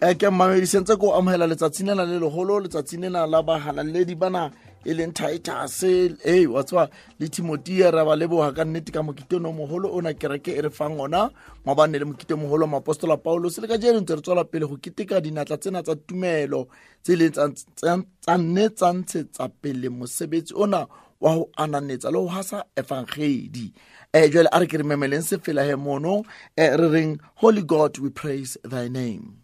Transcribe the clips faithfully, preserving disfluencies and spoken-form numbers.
Eh ke mmamedi sentse ko amohela letsatsi lena le leholo, letsatsi lena la bahalaledi bana e leng Titus, eh wa tswa le Timothy, ra ba leboha ka nnete ka mokete o moholo ona kereke e re fang ona mabane le mokete o moholo wa Apostola Paulus. Le ka jeno ntse re tswela pele ho keteka dinatla tsena tsa tumelo tse leng tsa tsa nne tsa ntshetsa pele mosebetsi ona wa ho ananetsa le ho hasa evangeli. Eh jwale a re ke re memeleng sefela he mono, eh re reng Holy God we praise thy name.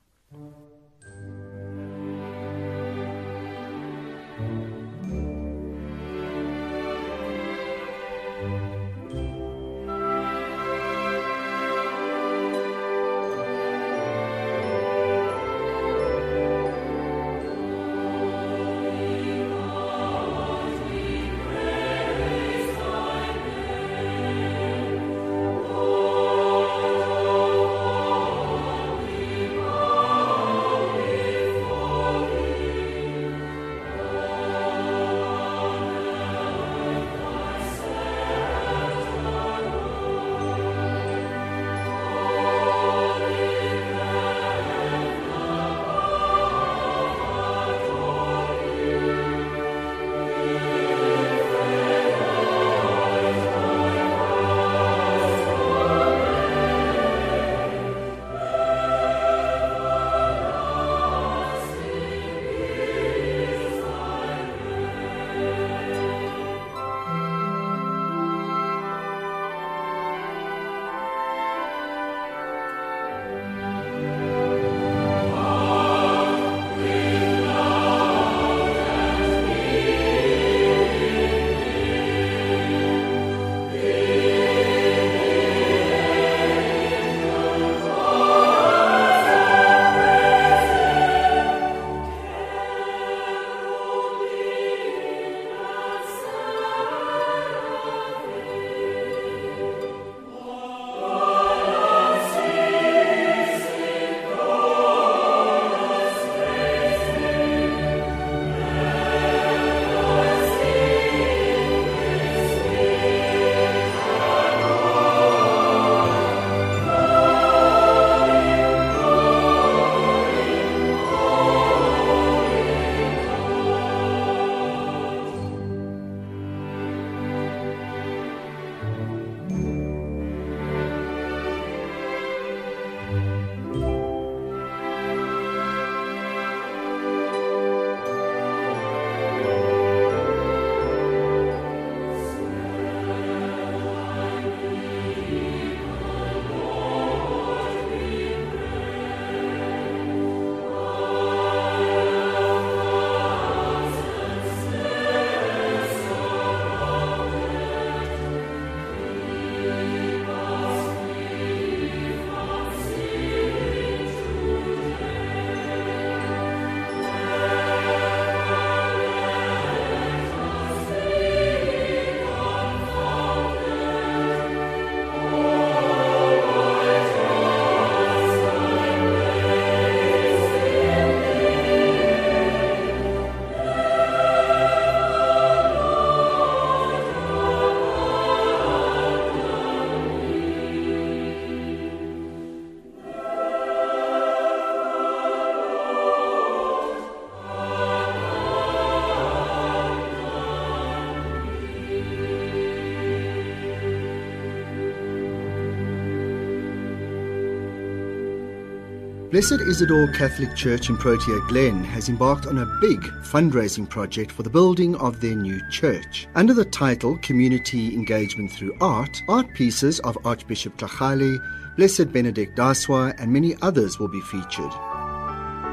Blessed Isidore Catholic Church in Protea Glen has embarked on a big fundraising project for the building of their new church. Under the title Community Engagement Through Art, art pieces of Archbishop Tlhagale, Blessed Benedict Daswa and many others will be featured.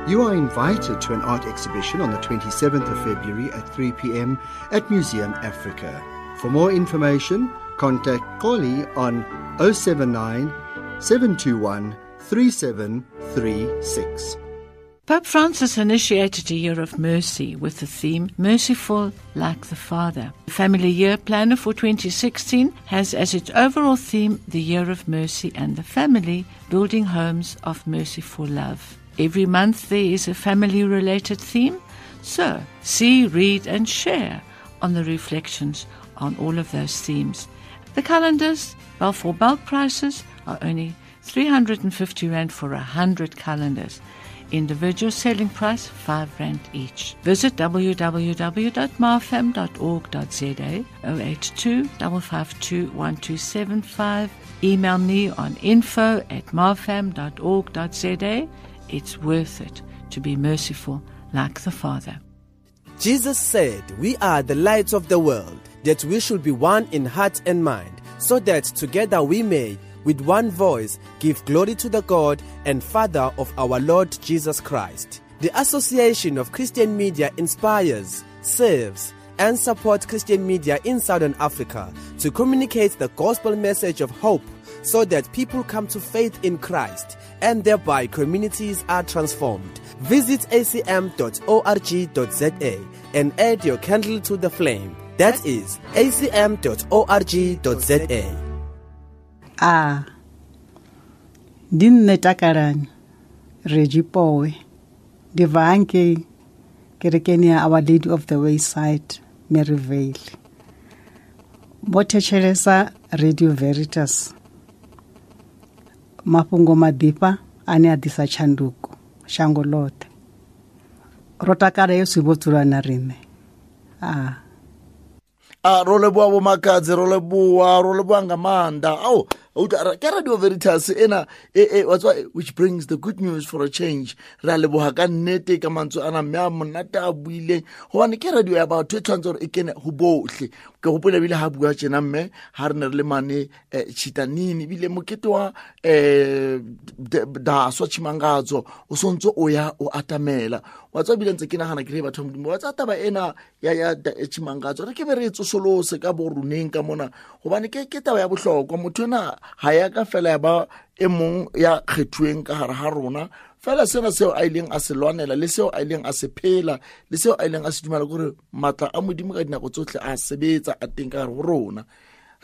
You are invited to an art exhibition on the twenty-seventh of February at three p.m. at Museum Africa. For more information, contact Koli on oh seven nine, seven two one, three seven three six. Pope Francis initiated a year of mercy with the theme Merciful Like the Father. The Family Year Planner for twenty sixteen has as its overall theme the Year of Mercy and the Family, building homes of merciful love. Every month there is a family-related theme, so see, read and share on the reflections on all of those themes. The calendars, well, for bulk prices, are only three hundred and fifty rand for a hundred calendars. Individual selling price five rand each. Visit w w w dot marfam dot org dot z a, oh eight two, five five two, one two seven five. Email me on info at marfam dot org dot z a. It's worth it to be merciful like the Father. Jesus said, "We are the light of the world, that we should be one in heart and mind, so that together we may, with one voice, give glory to the God and Father of our Lord Jesus Christ." The Association of Christian Media inspires, serves, and supports Christian media in Southern Africa to communicate the gospel message of hope so that people come to faith in Christ and thereby communities are transformed. Visit a c m dot org dot z a and add your candle to the flame. That is a c m dot org dot z a. A ndi nṋe Takalani Rejipowe ndi bva hangei kerekeni ya Our Lady of the Wayside Maryvale. Vho thetshelesa Radio Veritas, mafhungo maḓifha ane a ḓisa tshanduko shango ḽoṱhe. Ro takala Yesu vho dzula na riṋe. A a ro leboha bo Makadzi, ro leboha, ro leboha nga maanḓa. Ao, ke Radio Veritas ena e e wa tswa, which brings the good news for a change. Re a leboha ka nnete ka mantswe ana mme a monate a buileng, hobane ke radio ya batho e tshwanetse hore e kene ho bohle. Ke hopola ebile ha bua tjena mme ha re ne re le mane Chitanini, ebile mokete wa Daswa Tshimangadzo o sontso o ya o atamela. Wa tswa ebile ntse ke nahana ke re batho ba Modimo, wa tswa taba ena ya ya Tshimangadzo re ke be re e tsosolose ka bo roneng ka mona, hobane ke ke taba ya bohlokwa. Motho ena ha ya ka fela ya ba e mong ya kgethuweng ka hare ha rona fela, sena seo a ileng a se lwanela le seo a ileng a se phela le seo a ileng a se dumela, kore matla a Modimo ka dinako tsohle a sebetsa a teng ka hare ho rona.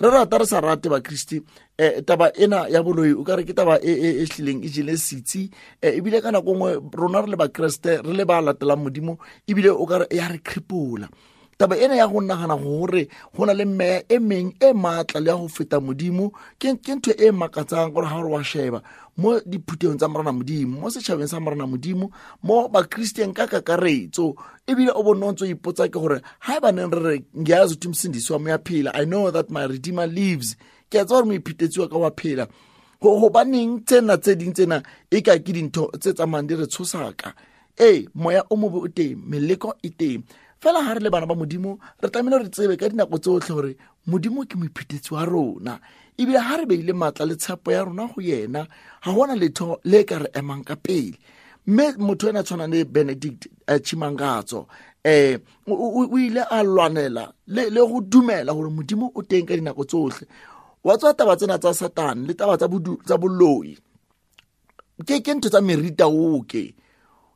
Re rata re sa rate Bakriste, eh taba ena ya boloi o ka re ke taba e e e hlileng e jele sitsi, ebile ka nako nngwe rona re le Bakreste re le ba latelang Modimo, ebile o ka re ya re kripola. Taba ena ya go nagana gore go na le meya e meng e matla le ya go feta Modimo ke ke ntho e makatsang gore ha re wa sheba mo diphuthehong tsa Morena Modimo, mo setjhabeng sa Morena Modimo, mo Bakristeng ka kakaretso, ebile o bonno ntso ipotsa ke gore ha ba neng re re ngiyazi ukuthi umsindisi wami uyaphila, I know that my redeemer lives, ke a tseba hore moiphetetsi wa ka wa phela. Ho hobaneng tsena tse ding tsena e ka ke dintho tse tsamayang di re tshosaka. Ee, moya o mobe o teng, meleko e teng. Fela ha re le bana ba Modimo re tlamehile re tsebe ka dinako tsohle hore Modimo ke moiphetetsi wa rona, ebile ha re beile matla le tshepo ya rona ho yena, ha hona letho le ka re emang ka pele. Mme motho ena tshwanang le Benedict Tshimangadzo eh o ile a lwanela le le go dumela hore Modimo o teng ka dinako tsohle. Wa tswa taba tsena tsa Satan le taba tsa tsa boloi ke ke ntho tsa merita oke.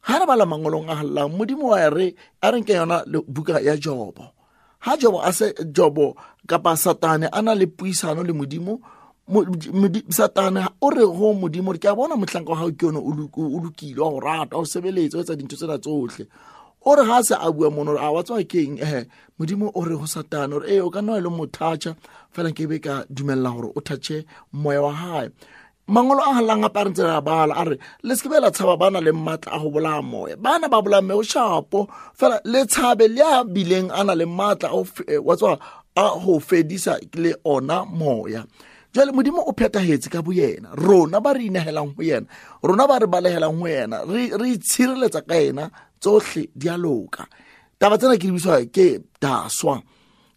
Ha re bala mangolong a hallang, Modimo wa re a re nke yona buka ya Jobo. Ha Jobo a se Jobo kapa Satane a na le puisano le Modimo, Satane o re ho Modimo re ke a bona mohlanka wa hao ke yona o lokile, wa go rata, o sebeletsa, o etsa dintho tsena tsohle. O re ha se a bua mono a wa tswa keng, eh Modimo o re ho Satane o re eh o ka nna e le mothatjha fela nke be ka dumella hore o thatche moya wa hae. Mangolo a halang a parentse ra bala a re le se ke bela tshaba bana le matla a ho bolaya moya, bana ba bolaya moya o shapo fela le tshabe le a bileng a na le matla a wa tswa a ho fedisa le ona moya. Jwale Modimo o phethahetse ka boyena, rona ba re inehelang ho yena, rona ba re balehelang ho yena, re re itshireletsa ka yena, tsohle di a loka. Taba tsena ke di biswa ke Daswa.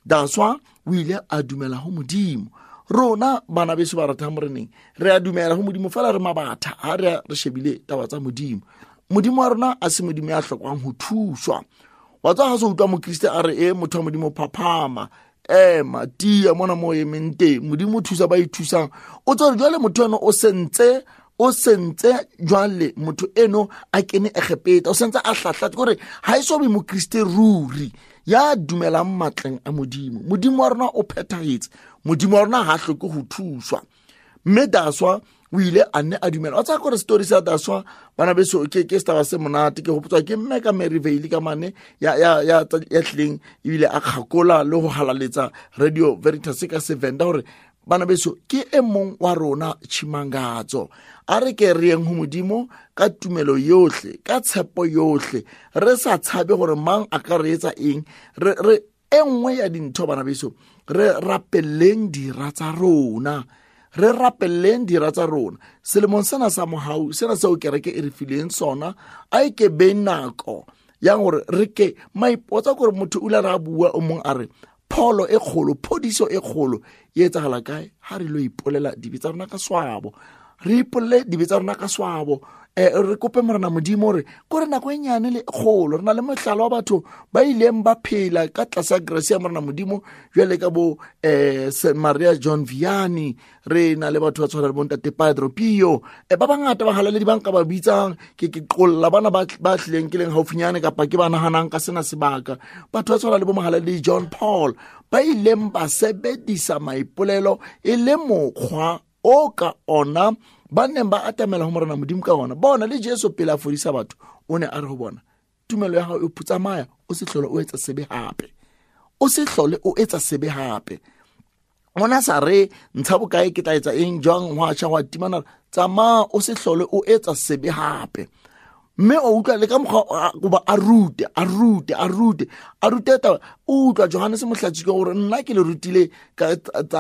Daswa o ile a dumela ho Modimo. Rona bana beso ba ratang moreneng re a dumela ho Modimo fela re mabatha ha re re shebile taba tsa Modimo. Modimo wa rona a se Modimo ya hlokwang ho thuswa. Wa tswa ha se utlwa mokriste a re e motho wa Modimo phaphama, ema tia mona mo emeng teng, Modimo o thusa ba ithusang. O tswa jwale motho eno o sentse o sentse jwale motho eno a kene Egepeta, o sentse a hlahla kore ha e so be mokriste ruri ya dumelang matleng a Modimo. Modimo wa rona o phethahetse, Modimo wa rona ha hloke ho thuswa. Mme Daswa o ile a nne a dumela. Wa tseba kore story sa Daswa bana beso ke ke setaba se monate, ke hopotswa ke mme ka Maryvale ka mane ya ya ya ya tlileng ebile a kgakola le ho halaletsa Radio Veritas ka Sevenda hore Bana beso ke e mong wa rona Tshimangadzo. A re ke re yeng ho Modimo ka tumelo yohle, ka tshepo yohle, re sa tshabe hore mang a ka re etsa eng. Re re e nngwe ya dintho bana beso, re rapelleng dira tsa rona, re rapelleng dira tsa rona. Selemong sena sa mohau, sena seo kereke e re fileng sona, a e ke be nako ya hore re ke maipotsa gore motho o ile ra bua o mong a re pholo e kgolo, phodiso e kgolo e etsahala kae? Ha re lo ipolela dibe tsa rona ka swabo, re ipolele dibe tsa rona ka swabo, eh re kope Morena Modimo hore kore nako e nyane le kgolo. Re na le mohlala wa batho ba ileng ba phela ka tlasa grace ya Morena Modimo, jwale ka bo eh Saint Maria John Vianney, re na le batho ba tshwana le bo Ntate Padre Pio, eh ba bangata ba halaledi ba nka ba bitsang ke ke qolla bana ba ba tlileng ke leng haufinyane kapa ke ba nahanang ka sena sebaka. Batho ba tshwana le bo mohalaledi John Paul ba ileng ba sebedisa maipolelo e le mokgwa o ka ona ba neng ba atamela ho Morena Modimo ka ona. Bona le Jesu pele a fodisa batho, o ne a re ho bona, tumelo ya hao e putsamaya, o se hlole o etsa sebe hape, o se hlole o etsa sebe hape. Ona sa re ntsha bokae ke tla etsa eng jwang, hwa tjha hwa timana, tsamaya o se hlole o etsa sebe hape. Mme o utlwa le ka mokgwa goba a rute a rute a rute a rute taba. O utlwa Johannes Mohlatsi gore nna ke le rutile ka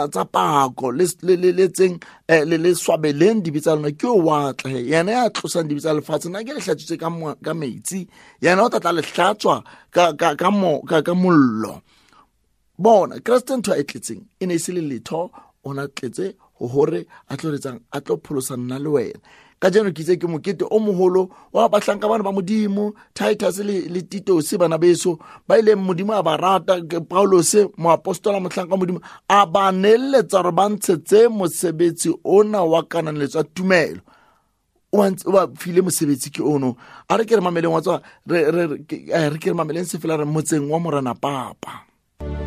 tsa pako le le le tseng le le swabeleng dibe tsa lona, ke o watla he yena ya tlosang dibe tsa lefatshe, nna ke le hlatswitse ka ka metsi, yena o tla tla le hlatswa ka ka ka mo ka ka mollo. Bona Kreste ntho e tletseng e ne e se le letho, ona tletse ho hore a tlo retsang, a tlo pholosa nna le wena. Kajeno ke itse ke mokete o moholo wa bahlanka bana ba Modimo, Titus le le Titus bana beso ba ileng Modimo a ba rata, Paulus moapostola mohlanka Modimo a ba neletsa hore ba ntshetse mosebetsi ona wa kananeletso ya tumelo. O ba file mosebetsi ke ono. A re ke re mameleng wa tswa re re re ke re mameleng se fela re motseng wa Morena Papa. Re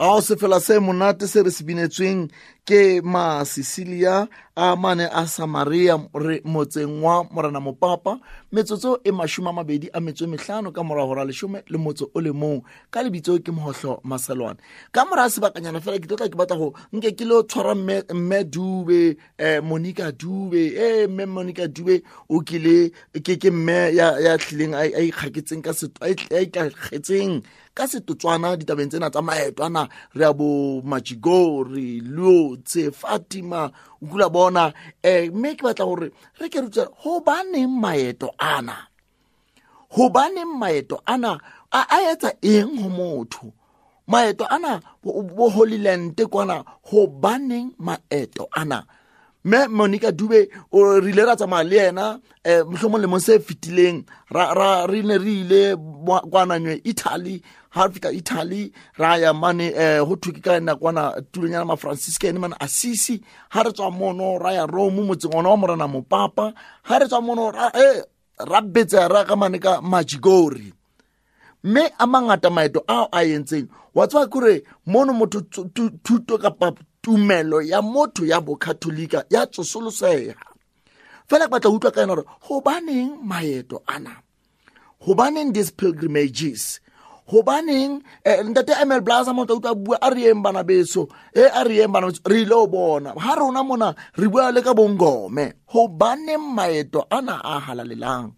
Ao sefela se monate se re se binetsweng ke ma Cecilia a mane a Samaria re motseng wa Morena Mopapa metsotso e mashome a mabedi a metso e mehlano ka mora hora leshome le motso o le mong ka lebitso ke Mohohlo Maselwane. Ka mora sebakanyana fela ke tlotla ke batla ho nke ke lo tshwara mme mme Dube eh Monica Dube eh mme Monica Dube o kile ke ke mme ya ya tlileng a ikgaketseng ka setho a ikgaketseng ka setotswana ditabeng tsena tsa maeto ana re ya bo Majigori Lotse Fatima o kula bona eh mme ke batla hore re ke rutse ho baneng maeto ana ho baneng maeto ana a a etsa eng ho motho maeto ana bo Holy Land kwana ho baneng maeto ana mme Monica Dube o rile ra tsamaya le yena eh mohlomong lemong se fetileng ra ra re ne re ile kwana nywe Italy ha fika Italy ra ya mane eh ho thwe ke ka nna kwana tulonyana ma Franciscan mane Assisi ha re tswa mono ra ya Rome motseng ona wa Morena Mopapa ha re tswa mono ra eh ra betsa ra ka mane ka Majigori mme a mangata maeto ao a entseng wa tswa kore mono motho thuto kapa tumelo ya motho ya bokatolika ya tsosoloseha fela ke batla utlwa ka yena hore hobaneng maeto ana hobaneng these pilgrimages hobaneng eh, ntate M L Blaza motho utlwa bua a re yeng bana beso eh a re yeng bana re ile o bona ha rona mona re bua le ka bongome hobaneng maeto ana a halalelang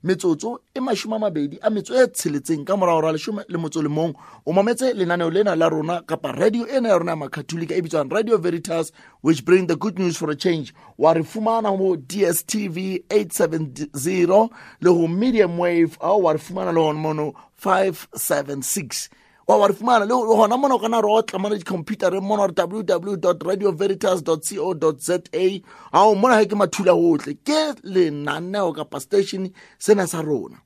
metsotso e mashome a mabedi a metso e tsheletseng ka mora hora leshome le motso le mong o mametse lenaneo lena la rona kapa radio ena ya rona ya Makatolika e bitswang Radio Veritas, which bring the good news for a change. Wa re fumana mo D S T V eight seventy le ho medium wave au wa re fumana le hona mono five seven six wa wa re fumana le hona mono kana re otla mona di-computer re mono w w w dot radio veritas dot co dot za ao mona ha ke mathula hohle ke lenaneo kapa station sena sa rona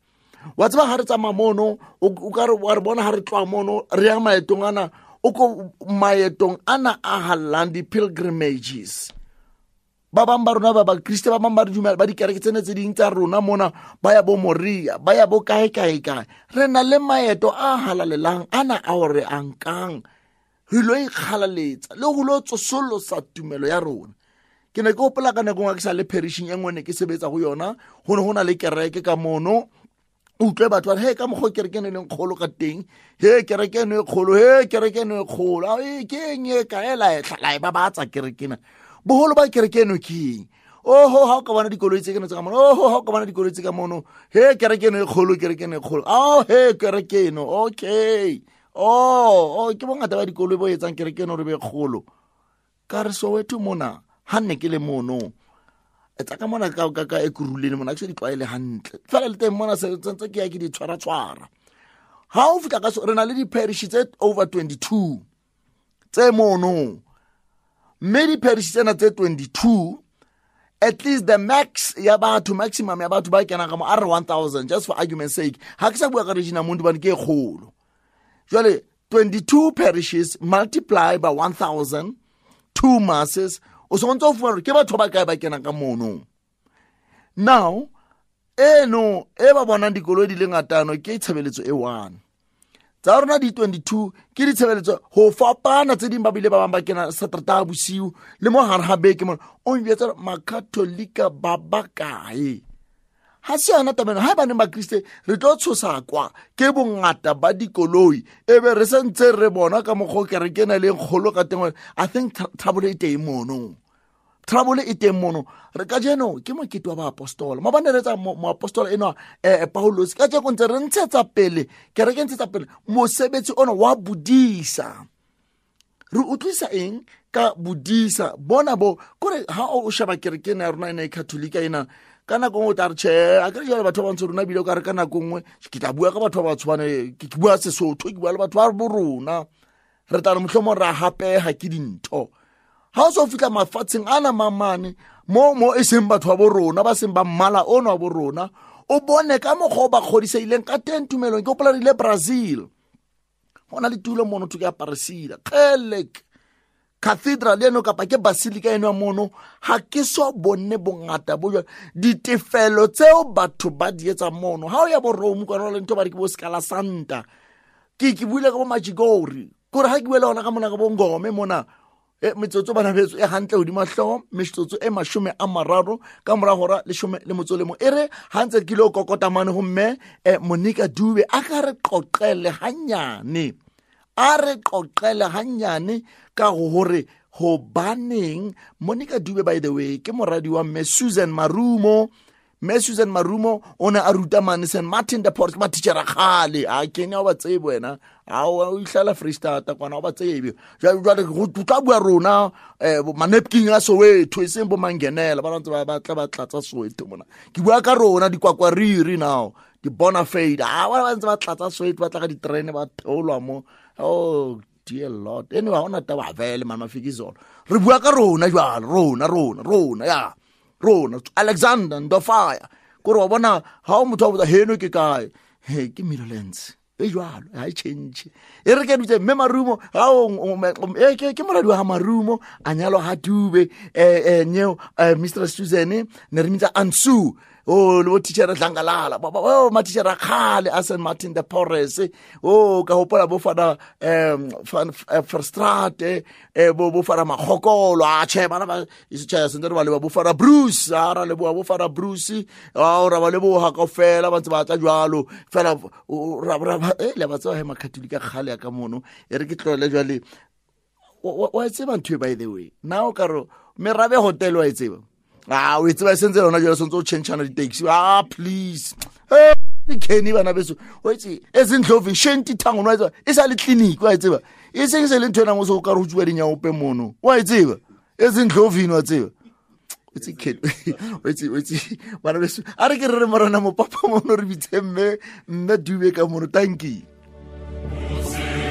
wa tseba ha re tsamaya mono o ka re wa re bona ha re tloha mono re ya maetong ana o ko maetong ana a hallang di-pilgrimages ba bang ba rona ba bakriste ba bang ba re dumela ba dikereke tsena tse ding tsa rona mona ba ya bo Moria ba ya bo kae kae kae re na le maeto a halalelang ana a o re ankang re lo ikgalaletsa le ho lo tsosolosa tumelo ya rona. Ke ne ke hopola ka nako e nngwe ke sa le perishing e nngwe ne ke sebetsa ho yona ho ne ho na le kereke ka mono o utlwe batho ba re he ka mokgwa kereke eno e leng kgolo ka teng he kereke eno e kgolo he kereke eno e kgolo e ke eng e kae la e la e babatsa kereke ena boholo ba kereke eno ke eng oho ha o ka bona dikoloi tse keno tse ka mono oho ha o ka bona dikoloi tse ka mono he kereke eno e kgolo kereke eno e kgolo oh he kereke eno okay oh oh ke bongata ba dikoloi bo etsang kereke eno re be kgolo ka re Soweto mona ha nne ke le mono etsa ka mona ka ka ka Ekurhuleni mona ke se di tlwaele hantle fela le teng mona se tsentse ke ya ke di tshwara tshwara ha o fihla ka re na le di-parish tse over twenty-two tse mono mme di-parish tsena tse twenty-two at least the max ya batho maximum ya batho ba kenang ka mo a re one thousand just for argument's sake ha ke sa bua ka Regina Mundi bane ke e kgolo jwale twenty-two parishes multiply by one thousand two masses o se ntse o fumana ke batho ba kae ba kenang ka mono now eno e ba bonang dikoloi di le ngatano ke tshebeletso e one tsa rona di twenty-two ke ditshebeletso ho fapana tse ding ba bile ba bang ba kena Satertaha bosiu le mo hare ha beke mona o njwetsa makatolika ba ba kae ha se yona taba eno ha ba neng ba Kriste re tlo tshosa kwa ke bongata ba dikoloi e be re sentse re bona ka mokgwa kereke ena le kgolo ka teng I think trouble e teng mono trouble e teng mono re ka jeno ke mokete wa baapostola mabane re tsa moapostola enwa eh Paulus ka jeno ntse re ntshetsa pele kereke ntshetsa pele mosebetsi ona wa bodisa re utlwisa eng ka bodisa bona bo kore ha o sheba kereke ena ya rona ena e Katolika ena ka nako nngwe o tla re tjhe a ke re jwale batho ba bantsho rona ebile o ka re ka nako nngwe ke tla bua ka batho ba batshwane ke bua Sesotho ke bua le batho ba bo rona re tla re mohlomong ra hapeha ke dintho ha o so fihla mafatsheng ana mamane mo mo e seng batho ba bo rona ba seng ba mmala ono wa bo rona o bone ka mokgwa o ba kgodiseileng ka teng tumelong ke hopola re ile Brazil ho na le tulo mono thwe ke ya Aparecida kgelek cathedral eno kapa ke basilica eno ya mono ha ke so bone bongata bo jwalo ditefelo tseo batho ba di etsa mono ha o ya bo Rome kwana le ntho ba re ke bo Scala Santa ke ke buile ka bo Majigori Kore ha ke bua le hona ka mona ka bongome mona e metsotso bana betso e hantle hodima hlooho metsotso e mashome a mararo ka mora hora leshome le motso le mo e re ha ntse ke lo kokota mane ho mme Monica Dube a ka re qoqele hanyane a re qoqele hanyane ka hore hobaneng Monica Dube by the way ke moradi wa mme Susan Marumo. Mme Susan Marumo o ne a ruta mane Saint Martin de Porres matitjhere kgale a kenya o ba tsebe wena a o ihlala Free State kwana o ba tsebe jwale go tla bua rona manapkin a Soweto e seng bo mangenela ba ntse ba batla ba tlatsa Soweto mona ke bua ka rona dikwakwariri now di Bonafide a ba ntse ba tlatsa Soweto ba tla ka diterene ba theolwa mo. Oh dear Lord, anyway ona taba vele mama Fikizolo re bua ka rona jwale rona rona rona ya rona Alexander Ndofaya kore wa bona ha o motho a botsa heno ke kae he ke Midlands e jwalo ha e change e re ke dutse mme Marumo ha o e ke ke moradi wa ha Marumo a nyalwa ha Dube eh eh nyeo Mister Susan ne re mitsa Ansu o le bo teacher Dlangalala o ma teacher khale a Saint Martin de Porres o ka hopola bo fana em Verstraete bo bo fana Magokolo a che bana ba isitshaya sentse re ba le bo fana Bruce a ra le bo bo fana Bruce a ra ba le bo ha kaofela ba ntse ba tla jwalo fela ra ra e le ba tswa he makatolika khale ka mono e re ke tlole jwale wa tseba ntho by the way now ka ro merabe hotel wa tseba ah o tseba sentse lona jwale sentse o changeana di-taxi ah please eh Kenny bana beso o itse ezindlovu shenti thango wa tseba e sa le clinic wa tseba e seng se le ntho ena mo so ka re utswa dinyaope mono wa tseba ezindlovini wa tseba o itse Kenny o itse o itse bana beso a re ke re re morena mo papa mono re bitse mme mme Dube ka mono thank you. Yeah.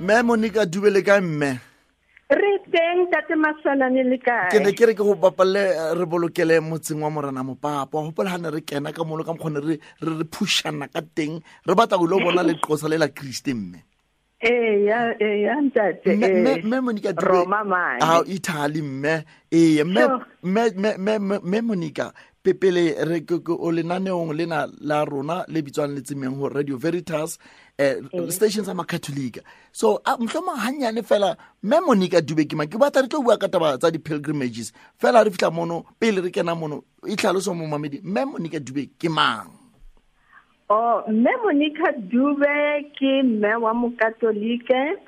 Mme Monica Dube le kae mme? Re teng tate Masalane le kae? Ke ne ke re ke go bapalle re bolokele motseng wa Morena Mopapa. Hopola ha ne re kena ka mono ka mokgone re re re pushana ka teng. Re batla go lo bona leqosa le la Kriste mme. Eh ya eh ya ntate. Mme Monica Dube. Roma mane. Ah Italy mme. Eh mme mme mme mme Monica pepele re ke o lenaneong lena la rona le bitswang letsemeng ho Radio Veritas eh station sa Makatholika. So mhlomong hanyane fela mme Monica Dube ke ma ke batla re tlo bua ka taba tsa di pilgrimages fela re fitla mono pele re kena mono e tlhaloso mo mamedi mme Monica Dube ke mang? Oh mme Monica Dube ke mme wa Mokatolike.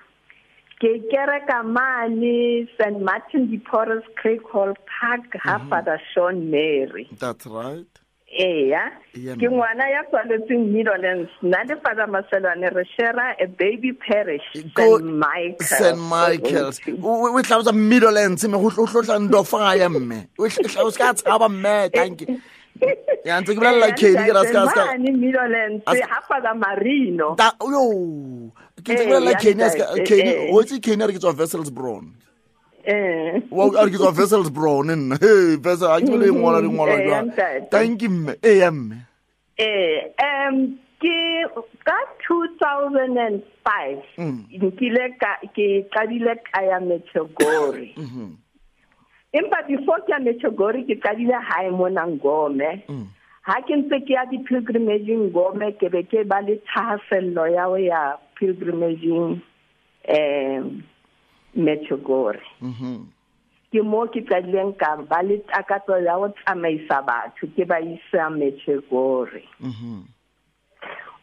Ke kereka mane Saint Martin de Porres Craig Hall Park ha Father Sean Mary. That's right. Eya. Ke ngwana ya tswaletsweng Midlands. Nna le Father Maselwane re share a baby parish Saint Michael's. Saint Michael's. O tlhalosa Midlands me go tlotla ndofaya mme. O tlhalosa ka tshaba mme thank you. Ya ntse ke bolela Kenny ke ra ska ska. Mane Midlands ha Father Marino. Ta yo. Ke ntse ke bolela Kenny ska Kenny o itse Kenny re ke tswa Wesselsbron. Eh. Wa re ke tswa Wesselsbron nna. Hey, Wessel a ke le ngwala re ngwala jwang. Thank you mme. Eh mme. Eh um ke ka two thousand five nkile ka ke qadile ka ya Medjugorje. Mhm. Empa before ke ya Medjugorje ke qadile hae mona Ngome. Ha ke ntse ke ya di-pilgrimage Ngome ke be ke ba le thahasello ya ho ya pilgrimage um Medjugorje. Mhm. Ke mo ke qadileng ka ba le takatso ya ho tsamaisa batho ke ba isa Medjugorje. Mhm.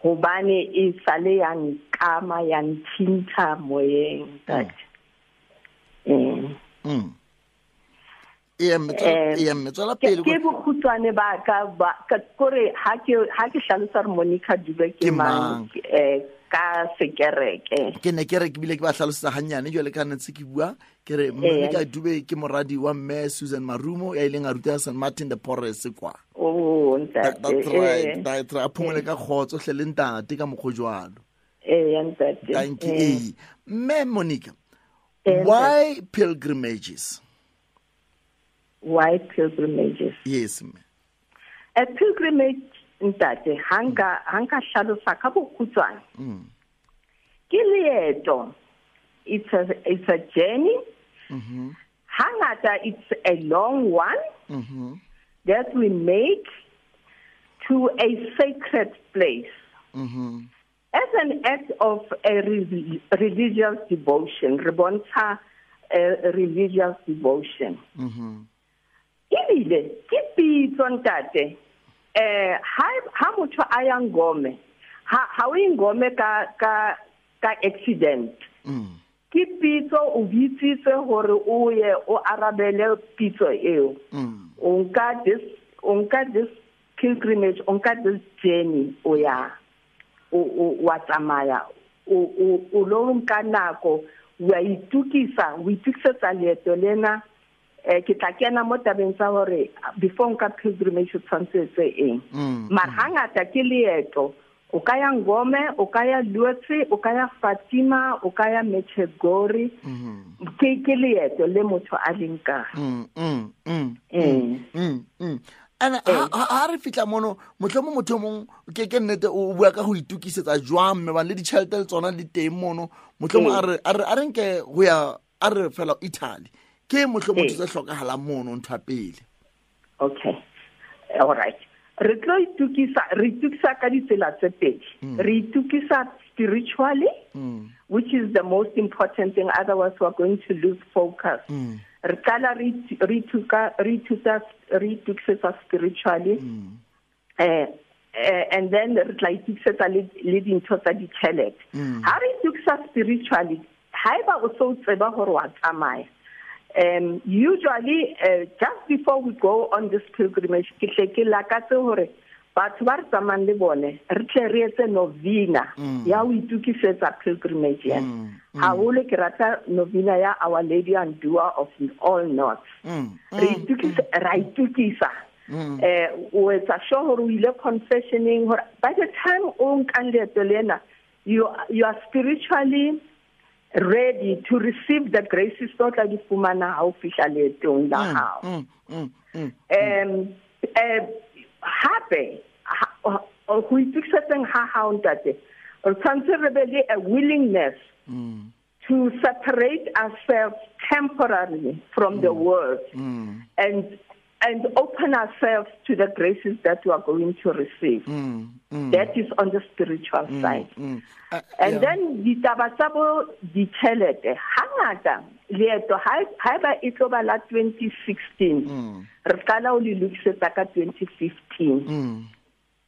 Hobane e sale ya nkama ya nthinta moyeng ntate. Mm. Mm. Ke ke bokhutswane ba ka ba kore ha ke ha ke hlalosa re Monica Dube ke mang eh ka sekereke. Ke ne ke re ke bile ke ba hlalosetsa hanyane jwale ka ntse ke bua ke re Monica Dube ke moradi wa mme Susan Marumo ya ileng a ruta Saint Martin de Porres kwa. Oh ntate. That's right. That's right. A phomole ka khotso hle le ntate ka mokgo jwalo. Eh ntate. Thank you. Mme Monica, why pilgrimages? Why pilgrimages? Yes, ma'am. A pilgrimage ntate hanga hanga hlalosa ka bokhutswane. Mm. Ke leeto. It's a it's a journey. Mhm. Hangata it's a long one. Mhm. That we make to a sacred place. Mhm. As an act of a re- religious devotion, re bontsha a religious devotion. Mhm. Ebile ke pitso ntate eh ha ha motho a ya Ngome ha ha o Ngome ka ka ka accident. Mm. Ke pitso o bitsitse hore o ye o arabele pitso eo. Mm. O nka this o nka this pilgrimage, o nka this journey o ya o o wa tsamaya o o o lo nka nako wa itukisa o itukisetsa leeto lena. Eh ke tla kena mo tabeng tsa hore before nka pilgrimage o tshwanetse tse eng. Mara hangata ke leeto o ka ya Ngome, o ka ya Lourdes, o ka ya Fatima, o ka ya Medjugorje. Ke ke leeto le motho a leng ka. Mm mm mm mm mm. Ana ha re fitla mono mohlomong motho mong ke ke nnete o bua ka ho itukisetsa jwang mme ba le ditjhelete le tsona di teng mono mohlomong a re a re nke ho ya a re fela Italy ke mohlomong tse hlokahalang mono ntho ya pele. Okay. All right. Re tlo itukisa re itukisa ka ditsela tse pedi. Re itukisa spiritually, mm. which is the most important thing, otherwise we are going to lose focus. Mm. Re qala re re tuka re tuka re itukisa spiritually. Mm. Eh and then re tla itukisetsa le le dintho tsa ditjhelete. Ha re itukisa spiritually, haeba o so tseba hore wa tsamaya. Um, usually, uh, just before we go on this pilgrimage, ke tle ke lakatse hore batho ba re tsamayang le bone re tle re etse novena ya ho itukisetsa pilgrimage ena. Haholo ke rata novena ya Our Lady and Doer of All Knots. Re itukisa ra itukisa. Eh o etsa sure hore o ile confessioning hore by the time o nkang leeto lena you you are spiritually ready to receive the graces tse o tla di fumana ha o fihla leetong la hao. Mm, mm, mm, um eh hape ho itokisetseng ha hao ntate, re tshwanetse re be le a willingness mm. to separate ourselves temporarily from mm. the world mm. and and open ourselves to the graces that we are going to receive. Mm, mm. That is on the spiritual mm, side. Mm. Uh, and yeah. then ditaba tsa bo ditjhelete, hangata leeto haeba e tlo ba la twenty sixteen, mm. re qala ho le lokisetsa ka twenty fifteen. Mm.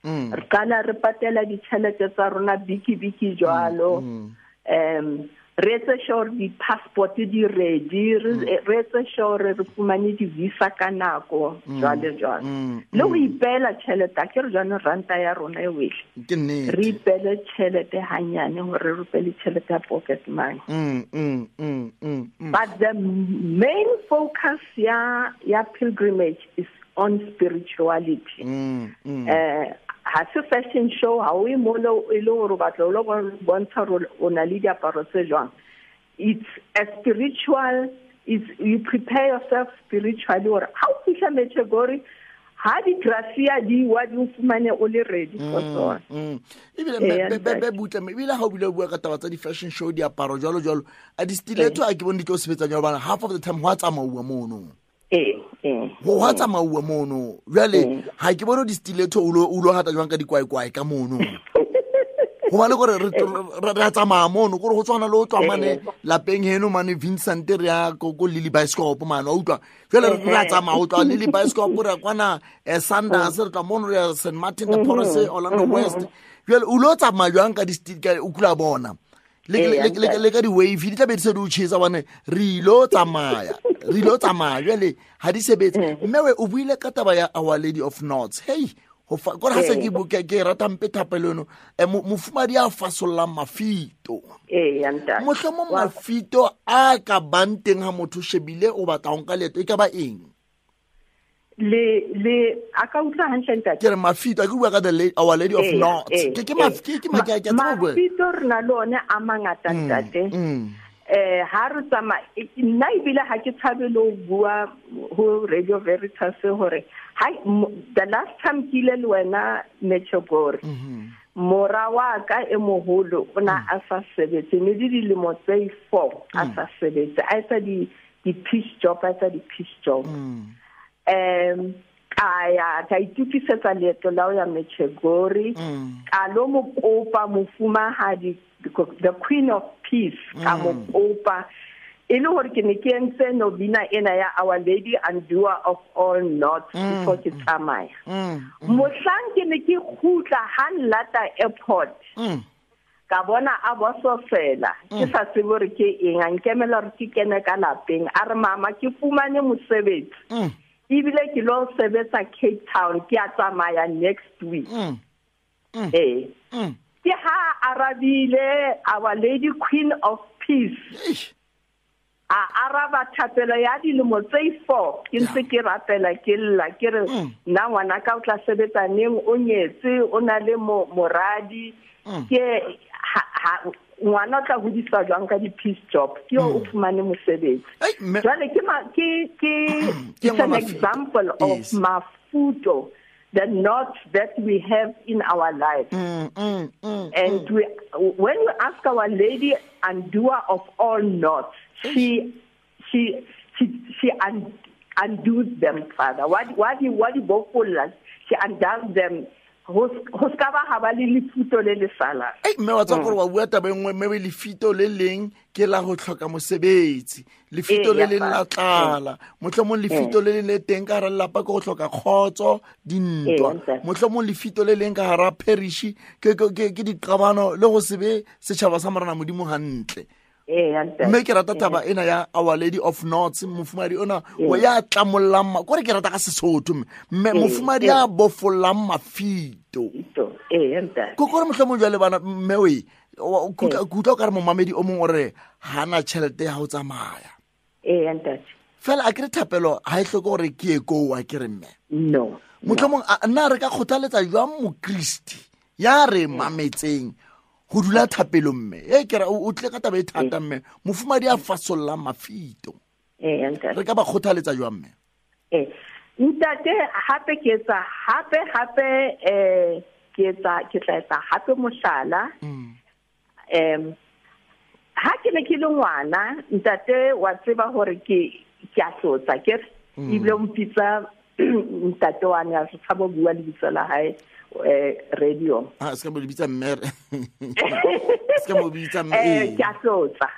Mm. Re qala re patela ditjhelete tsa rona biki biki jwalo. Mm. Um re etse sure di-passport di ready, re etse sure re fumane di-visa ka nako, jwale jwale. Le ho ipeela tjhelete, a ke re jwanong ranta ya rona e wele. Ke nnete. Re ipeele tjhelete hanyane hore re be le tjhelete ya pocket money. Mm, mm, mm, mm, mm. But the main focus ya, ya pilgrimage is on spirituality. Mm, mm. Eh, ha se fashion show, ha o e molo e le hore o batla o lo bontsha hore o na le diaparo tse jwang. It's a spiritual, it's, you prepare yourself spiritually hore ha o fihla Medjugorje, ha di-gracia di wa di o fumane o le ready for tsona. Mm, mm. Ebile be, be, be butle, ebile ha o bile o bua ka taba tsa di-fashion show, diaparo jwalo jwalo, a di-stiletto a ke bone di tlo sebetsa jwalo, hobane half of the time ho a tsamauwa mono. Eh, eh. Ho hwa tsamauwa mono. Jwale ha ke bone di-stiletto o lo o lo hata jwang ka dikwaikwai ka mono. Hobane kore re re a tsamaya mono, kore ho tshwana le ho tloha mane lapeng heno mane Vincent re ya ko ko Lily Bioscope mane, wa utlwa. Jwale re a tsamaya ho tloha Lily Bioscope re ya kwana Sanders, re tloha mono re ya Saint Martin de Porres, Orlando West. Jwale o lo tsamaya jwang ka di-stiletto o kula bona. Le le le ka di-wave di tla be di se di o tjhesa hobane re ilo tsamaya. Re ilo tsamaya jwale ha di sebetse. Mme we o buile ka taba ya Our Lady of Knots. Hey, ho fa kore ha se ke buka ke rata mpe thapelo eno, mofumadi a fasollang mafito. Eh, ya ntate. Mohlomong mafito a ka bang teng ha motho shebile o batla ho nka leeto e ka ba eng? Le le a ka utlwa hantle ntate. Ke re mafito a ke bua ka the lady, Our Lady of Knots. Ke ke ke ke ke ke mafito re na le one a mangata ntate. Eh ha re tsamaya nna ebile ha ke tshabe le ho bua ho Radio Veritas hore ha the last time ke ile le wena Medjugorje, mora wa ka e moholo o na a sa sebetse, ne di dilemo tse four a sa sebetse, a etsa di di peace job, a etsa di peace job. Um ka ya ka itukisetsa leeto la ho ya Medjugorje, ka lo mo kopa mofumahadi, the Queen of Peace, ka mo kopa e le hore ke ne ke entse novena ena ya Our Lady Undoer of All Knots before ke tsamaya. Mohlang ke ne ke kgutla ha nlata airport, ka bona a bososela, ke sa tsebe hore ke eng, a nkemela hore ke kene ka lapeng, a re mama ke fumane mosebetsi, ebile ke lo sebetsa Cape Town, ke a tsamaya next week. Eh, ke ha arabile Our Lady Queen of Peace. A araba thapelo ya dilemo tse four, ke ntse ke rapela ke lla ke re nna ngwana ka o tla sebetsa neng, o nyetse, o na le moradi, ke ngwana o tla hodiswa jwang ka di-peace job, ke o fumane mosebetsi. Jwale ke ke ke it's an example of mafuto, the knots that we have in our lives. Mm, mm, mm, and mm. we, when we ask Our Lady Undoer of all knots, she she she she un, undoes them, Father. What what what she undoes them. Ho ska ba ha ba le lefito le le salang. Ei mme wa tswa gore wa bua taba e nngwe, mme lefito le leng ke la ho hloka mosebetsi, lefito le leng la tlala, mohlomong lefito le leng le teng ka hara lelapa ke ho hloka kgotso, dintwa, mohlomong lefito le leng ka hara parish ke ke ke diqabano le ho se be setjhaba sa Morena Modimo hantle. Mme ke rata taba ena ya Our Lady of Knots, mofumadi ona o ya tlamollang, kore ke rata ka Sesotho mme mofumadi ya bofollang mafito. Ko kore mohlomong jwale bana mme we o kutlwa o ka re momamedi o mong o re hana tjhelete ya ho tsamaya. Eh ntate. Fela a ke re thapelo ha e hloke hore ke ye koo, a ke re mme. No. Mohlomong nna re ka kgothaletsa jwang mokriste ya re mametseng Go dula thapelo mme e ke ra o tle ka taba e thata mme mofumadi a fasolla mafito. Eh ntate. Re ka ba kgothaletsa jwang mme? Eh ntate hape ke etsa hape hape eh ke etsa ke tla etsa hape mohlala. Em ha ke ne ke le ngwana ntate wa tseba hore ke ke a hlotsa ke ebile o mpitsa ntate wa ne a tshaba bua lebitso la hae eh radio. Ah se ka mo lebitsa mme. Se ka mo bitsa mme. Eh ke a hlotsa.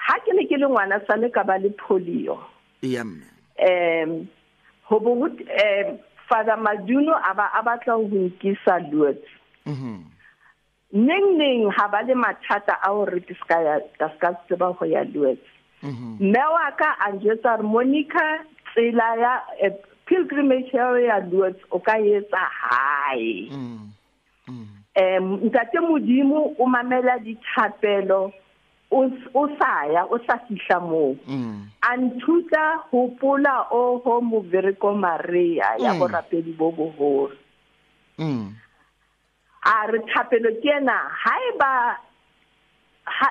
Ha ke ne ke le ngwana sale ka ba le polio. Iya mme. Em ho bo eh Father Maduno aba a batla ho nkisa Lourdes. Mhm. Neng neng ha ba le mathata a hore ke ska ya ka ska tseba ho ya Lourdes. Mhm. Mme wa ka a njwetsa hore Monica tsela ya pilgrimage ya Lourdes o ka etsa hae. Mhm. Mhm. Em ntate Modimo o mamela dithapelo o o sa ya o sa fihla moo. A nthuta hopola o ho Movereko Maria ya borapedi bo boholo. Mm. A re thapelo ke ena haeba ha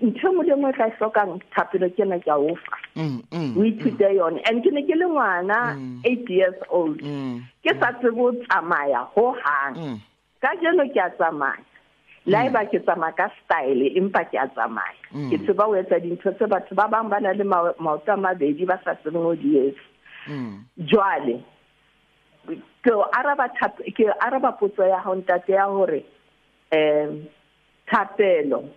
ntho mo le nngwe tla hlokang thapelo ke ena ke a o fa. Mm. O ithute yone and ke ne ke le ngwana eight years old. Ke sa tsebe ho tsamaya ho hang. Ka jeno ke a tsamaya. La eba ke tsamaya ka style empa ke a tsamaya. Ke tseba ho etsa dintho tse batho ba bang ba na le maoto a mabedi ba sa tsebeng ho di etsa. Jwale ke araba ke araba potso ya hao ntate ya hore em thapelo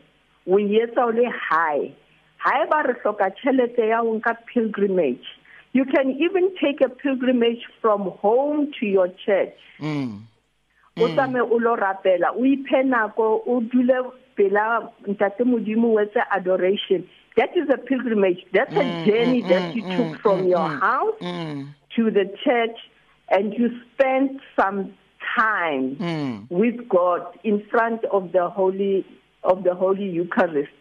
o etsa o le hae. Haeba re hloka tjhelete ya ho nka pilgrimage, you can even take a pilgrimage from home to your church. Mm. O tsame o lo rapela o iphe nako o dule pela ntate Modimo o etse adoration. That is a pilgrimage. That's a journey that you took from your house to the church and you spent some time mm. with God in front of the holy of the Holy Eucharist.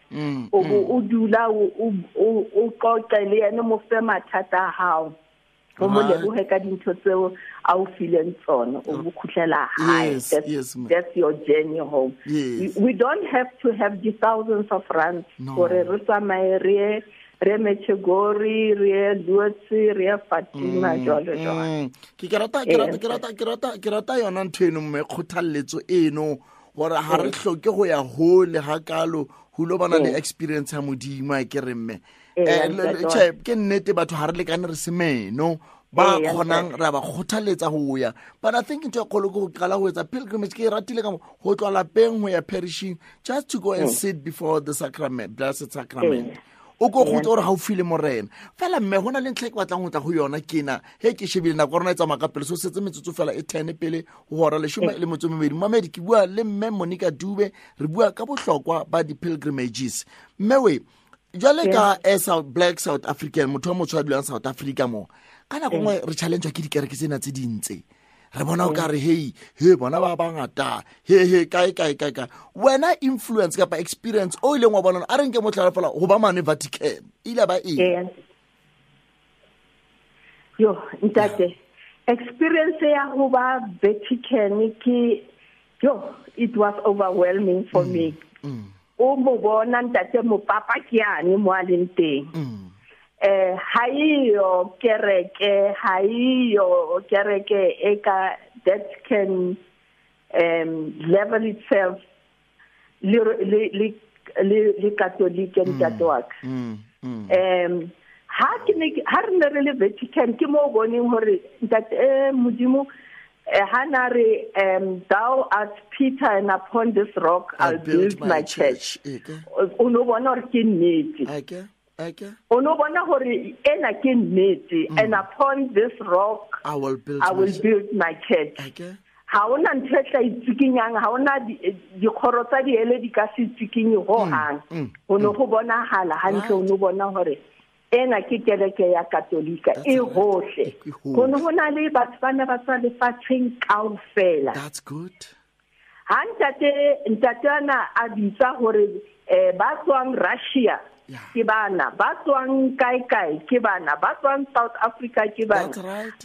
O o dula o o qoqe le yena mo fe mathata a hao. O mo lebohe ka dintho tseo a o fileng tsona o bo khutlela hae. Yes, that's, yes, that's your journey home. Yes. We, we don't have to have the thousands of rands hore re tsamaye re re Medjugorje re Lourdes re Fatima jwalo jwalo. Ke ke rata ke rata ke rata ke rata ke rata yona ntho eno mme kgothalletso eno hore ha re hloke ho ya hole hakalo ho lo bana le experience ya Modimo a ke re mme eh che ke nnete batho ha re lekane re semeno ba kgonang ra ba kgothaletsa ho ya. But I think ntho e kgolo ke ho qala ho etsa pilgrimage ke e ratile ka mo ho tloha lapeng ho ya perishing just to go and sit before the sacrament, blessed sacrament. O ko go tsore ha o file morena fela mme hona le ntlha ke batlang ho tla ho yona kena he ke shebile nako rona e tsamaya ka pele so setse metsotso fela e ten pele ho hora leshome le metso e mebedi. Mamedi ke bua le mme Monica Dube re bua ka bohlokwa ba di pilgrimages. Mme we jwale ka as a black South African motho wa motho a dulang South Africa mo ka nako nngwe re challenge ke dikereke tsena tse dintse re bona o ka re hey he bona ba bangata he he kae kae kae ka wena influence kapa experience o ileng wa bona a re nke motlhala fela ho ba mane Vatican ile ba eng? Yo ntate experience ya ho ba Vatican ke yo it was overwhelming for me. O mo bona ntate mo papa ke ane mo a leng teng. Eh ha iyo kereke ha iyo kereke e ka that can um level itself le le le le Catholic ntate wa ka. Um ha ke ne ha re ne re le Vatican ke mo boneng hore ntate Modimo ha na re um thou art Peter and upon this rock I'll build my church. O no bona hore ke nnete. Okay. Okay. O no bona hore ena ke nnete and upon this rock I will build I will build my church. Okay. Ha ona ntho e tla itsikinyang ha ona dikgoro tsa diele di ka se tsikinye ho hang. Ho no go bonahala hantle o no bona hore ena ke kereke ya Katolika e hohle. Ho no hona le batho ba ne ba tswa lefatsheng kaofela. That's good. Ha ntate ntate ana a bitsa hore eh ba tswang Russia ke bana ba tswang kae kae ke bana ba tswang South Africa ke bana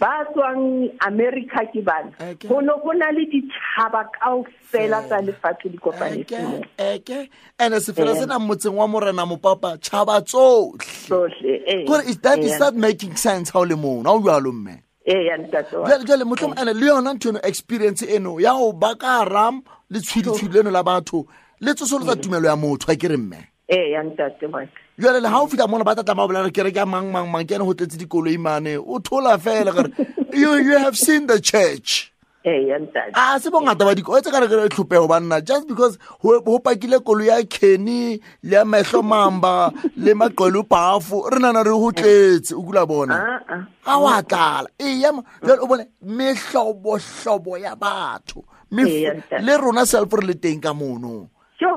ba tswang America ke bana ho no ho na le ditjhaba kaofela tsa lefatshe di kopanetse eke ene sefela sena motseng wa morena mopapa tjhaba tsohle tsohle eh kore is that is that making sense how le mona o jwalo mme eh ya ntate wa jwale jwale mohlomong ene le yona ntho eno experience eno ya ho baka ram le tshwidi leno la batho le tsosolotsa tumelo ya motho a ke re mme eh ya ntate wa jwale le ha o fihla mona ba tla tla bolela ke re ke mang mang mang ke ene ho tletse dikoloi mane o thola fela gore you you have seen the church eh ya ntate a se bongata ba diko tse ka re re tlhopeho banna just because ho pakile koloi ya Kenny le ya Mehlo Mamba le Maqwelo Pafo re nana re ho tletse o kula bona ha wa tlala e ya jwale o bone mehlobo hlobo ya batho le rona self re le teng ka mono yo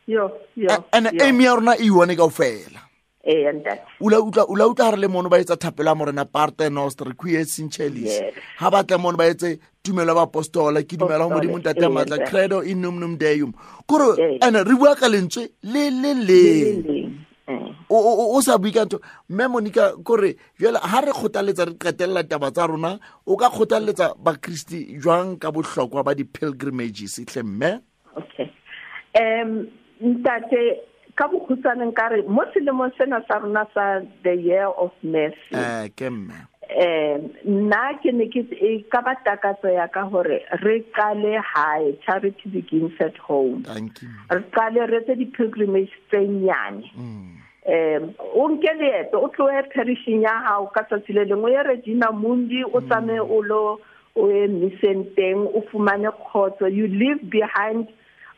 yo yo and aim ya rona e yone kaofela eh ntate ula utlwa ula utlwa re le mono ba etsa thapelo ya morena Pater Noster qui es in celis ha batla mono ba etse tumelo ba apostola ke dumela ho Modimo ntate matla credo in nomine Deum kore ene re bua ka lentswe le le le o o sa bua ka ntho mme Monica kore jwale ha re kgothaletsa re qetella taba tsa rona o ka kgothaletsa bakristi jwang ka bohlokwa ba di pilgrimages tle mme okay um ntate ka bokhutsane nkare mo selemong sena sa rona sa the year of mercy eh ke mme eh nna ke ne ke ka ba takatso ya ka hore re qale hae charity begins at home thank you re qale re tse di pilgrimage tse nyane um o nke leeto o tlohe perishing ya hao ka tsatsi le lengwe ya Regina Mundi o tsamaye o lo o ye misseng teng o fumane khotso you leave behind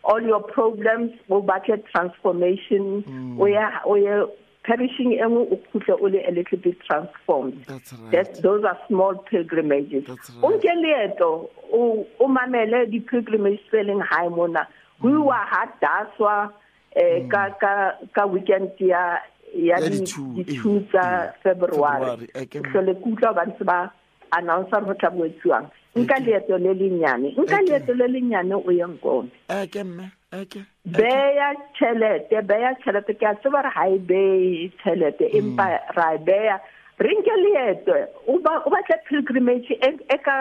all your problems o batle transformation o ya o ya perishing e nngwe o khutle o le a little bit transformed that's right that those are small pilgrimages right. O nke leeto o o mamele di pilgrimage tse leng hae mona ho iwa ha daswa eh ka ka ka weekend ya ya di two tsa February hlole kutla ba ntse ba announcer ho tla boetsiwang nka leeto le lenyane nka leeto le lenyane o ye Nkome eh ke mme eke beya tjhelete beya tjhelete ke a tseba re ha e beye tjhelete empa ra e beya re nke leeto o ba o batla pilgrimage e ka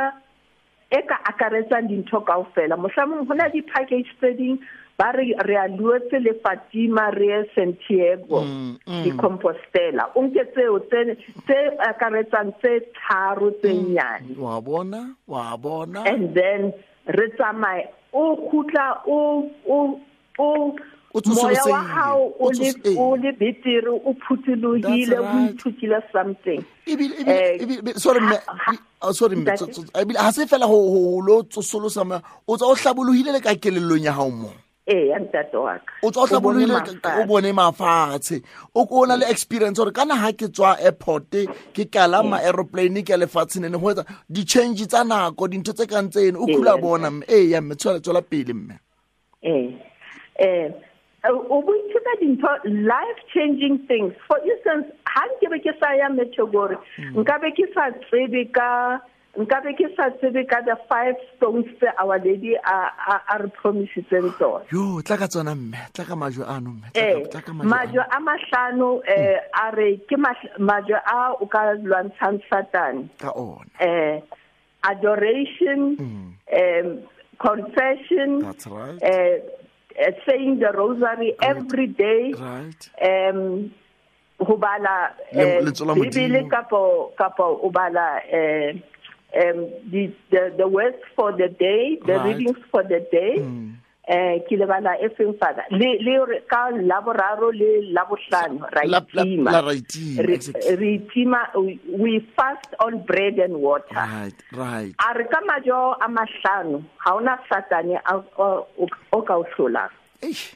e ka akaretsang dintho kaofela mohlomong ho na di package tse ding ba re re a Lourdes le Fatima re Santiago di Compostela o nke tseo tse tse akaretsang tse tharo tse nyane wa bona wa bona and then re tsamaye o khutla o o o moya wa hao o le o le betere o phuthulohile o ithutile something ebile ebile sorry mme sorry mme ebile ha se fela ho ho lo tsosolosa o tswa o hlabolohile le ka kelellong ya hao mo eh ya ntate wa ka o tswa o hlabolohile o bone mafatshe o ko na le experience hore kana ha ke tswa airport ke kalama aeroplane ke lefatsheng ne ho etsa di change tsa nako dintho tse kang tseno o khula bona mme eh ya mme tswela tswela pele mme eh eh o boithuta dintho life changing things for instance ha nke be ke sa ya Medjugorje nka be ke sa tsebe ka nka be ke sa tsebe ka the five stones tse our lady a a re promisitseng tsona yo tla ka tsona mme tla ka majwe ano mme tla ka majwe a mahlano eh a re ke majwe a o ka lwantshang Satan ka ona eh adoration um confession that's right eh uh, saying the rosary Good. Every day right um ho bala Bibele kapo kapo o bala eh um the the the words for the day the right. readings for the day eh ke le bala e feng father le le ka laboraro le labohlano ra itima la ra itima we fast on bread and water right right a re ka majo a mahlano ha ona satane o ka o hlola eish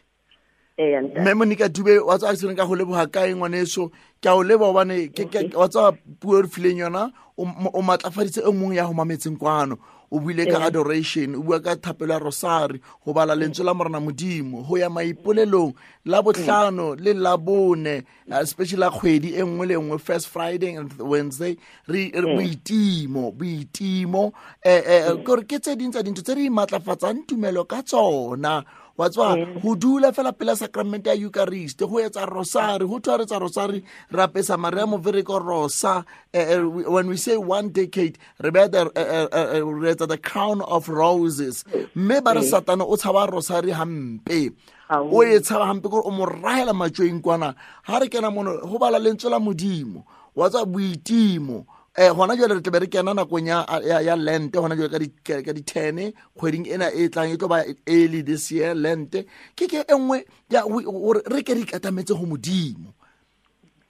Mme Monica Dube wa tswa ke ka go leboga kae ngwaneso ke a o leboga hobane ke wa tswa puo re fileng yona o matlafaditse e mong ya ho mametseng kwano o buile ka adoration o bua ka thapelo ya rosary ho bala lentswe la morena Modimo ho ya maipolelong la bohlano le la bone especially la kgwedi e nngwe le nngwe first Friday and Wednesday re boitimo boitimo eh eh gore ke tse ding tsa dintho tse re matlafatsang tumelo ka tsona Wa tswa ho dula fela pela sacrament ya Eucharist, ho etsa rosary, ho thwa re tsa rosary, ra pesa Maria Movereko rosa. When we say one decade, re beha the re etsa the crown of roses. Mme ba re Satana o tshaba rosary hampe. O e tshaba hampe gore o mo rahela matjoeng kwana. Ha re kena mono ho bala lentswe la Modimo, wa tswa boitimo. Eh hona jwale re tla be re kena nakong ya ya Lent, hona jwale ka di ka di ten kgweding ena e tlang e tlo ba early this year Lent. Ke ke e nngwe ya gore re ke re ikatametse ho Modimo.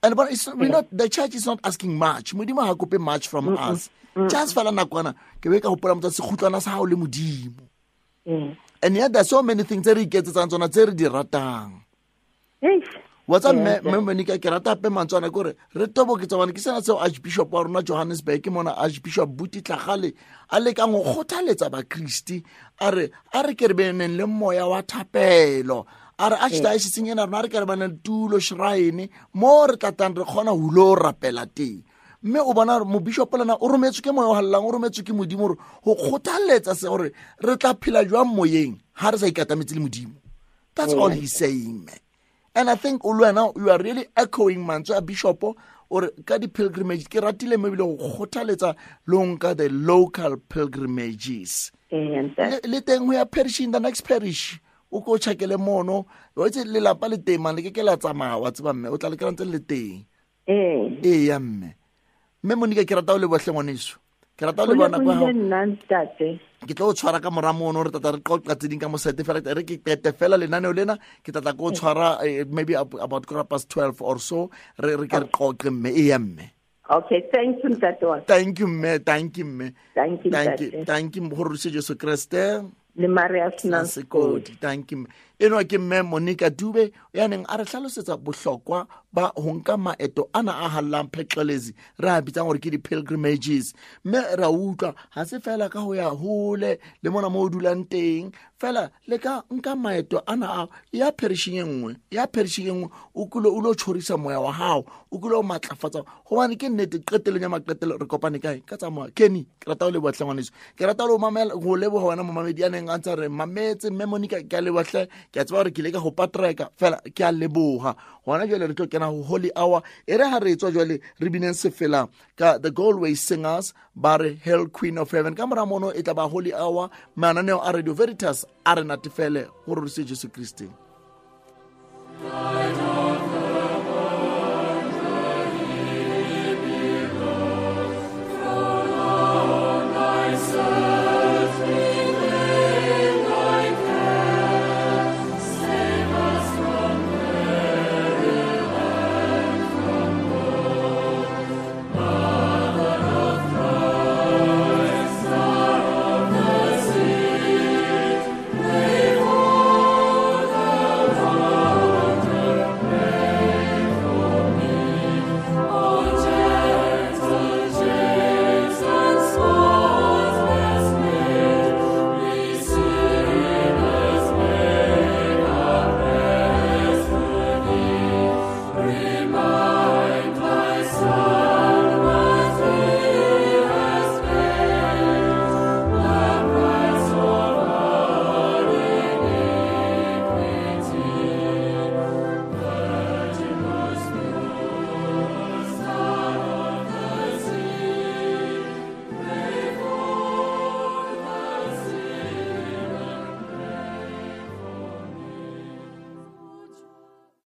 And but it's we not, the church is not asking much. Modimo ha kope much from us. Just fela nakwana ke be ka hopola motsa sekgutlwana sa hao le Modimo. And yet there's so many things tse re iketsetsang tsona tse re di ratang. What's up, mme Monica, ke rata hape mantswe ana ke hore re toboketsa bana ke sena seo Archbishop wa rona Johannesburg mona Archbishop Buti Tlhagale a lekang ho kgothaletsa bakristi, a re a re ke re beneng le moya wa thapelo, a re archdiocese ena rona re ke re bana le tulo shrine mo re tlatang re kgona ho lo rapela teng. Mme o bona mobishop lena o rometswe ke moya o hallang, o rometswe ke Modimo hore ho kgothaletsa se hore re tla phela jwang moyeng ha re sa ikatametse le Modimo. That's all he's saying, man. And I think Ulwena, you are really echoing mantswe a bishop or ka di pilgrimage. Ke ratile mme ebile ho kgothaletsa lo nka the local pilgrimages. Le teng ho ya parish in the next parish. O ko tjhakele mono, wa itse lelapa le teng man le ke ke la tsamaya wa tseba mme o tla le kry-a ntse le teng. Eh. Ee ya mme. Mme Monica ke rata o leboha hle ngwaneso. Ke rata o leboha nako ya hao. Nna ntate. Ke tlo o tshwara ka mora mono re tata re qoqa tse ding ka mosete fela, re ke qete fela lenaneo lena ke tla tla ko tshwara maybe about quarter past twelve or so, re re ke re qoqe mme. E ya mme. Okay, thank you ntate wa. Thank you mme, thank you mme. Thank you Thank you, thank you gore se Jesu Kriste le Maria Senang Sekodi. Thank you. Enwa ke mme Monica Dube ya neng a re hlalosetsa bohlokwa ba ho nka maeto ana a hallang pheqelezi re a bitsang hore ke di-pilgrimages. Mme ra utlwa ha se fela ka ho ya hole le mona mo o dulang teng fela, le ka nka maeto ana a ya perishing e nngwe, ya perishing e nngwe, o kulo o lo tjhorisa moya wa hao, o kulo o matlafatsa hobane ke nnete qetelong ya maqetelo re kopane kae ka tsa moya. Kenny, ke rata o leboha hle ngwaneso, ke rata o mamela ho leboha wena momamedi ya neng a ntse re mametse. Mme Monica ke a leboha hle, ke a tseba hore ke ile ka ho patreka fela, ke a leboha. Hona jwale re tlo kena ho Holy Hour, e re ha re tswa jwale re bineng sefela ka the Galway Singers ba re Hail Queen of Heaven. Ka mora mono e tla ba Holy Hour, mananeo a Radio Veritas a re natefele ho rorise Jesu Kriste. Lord.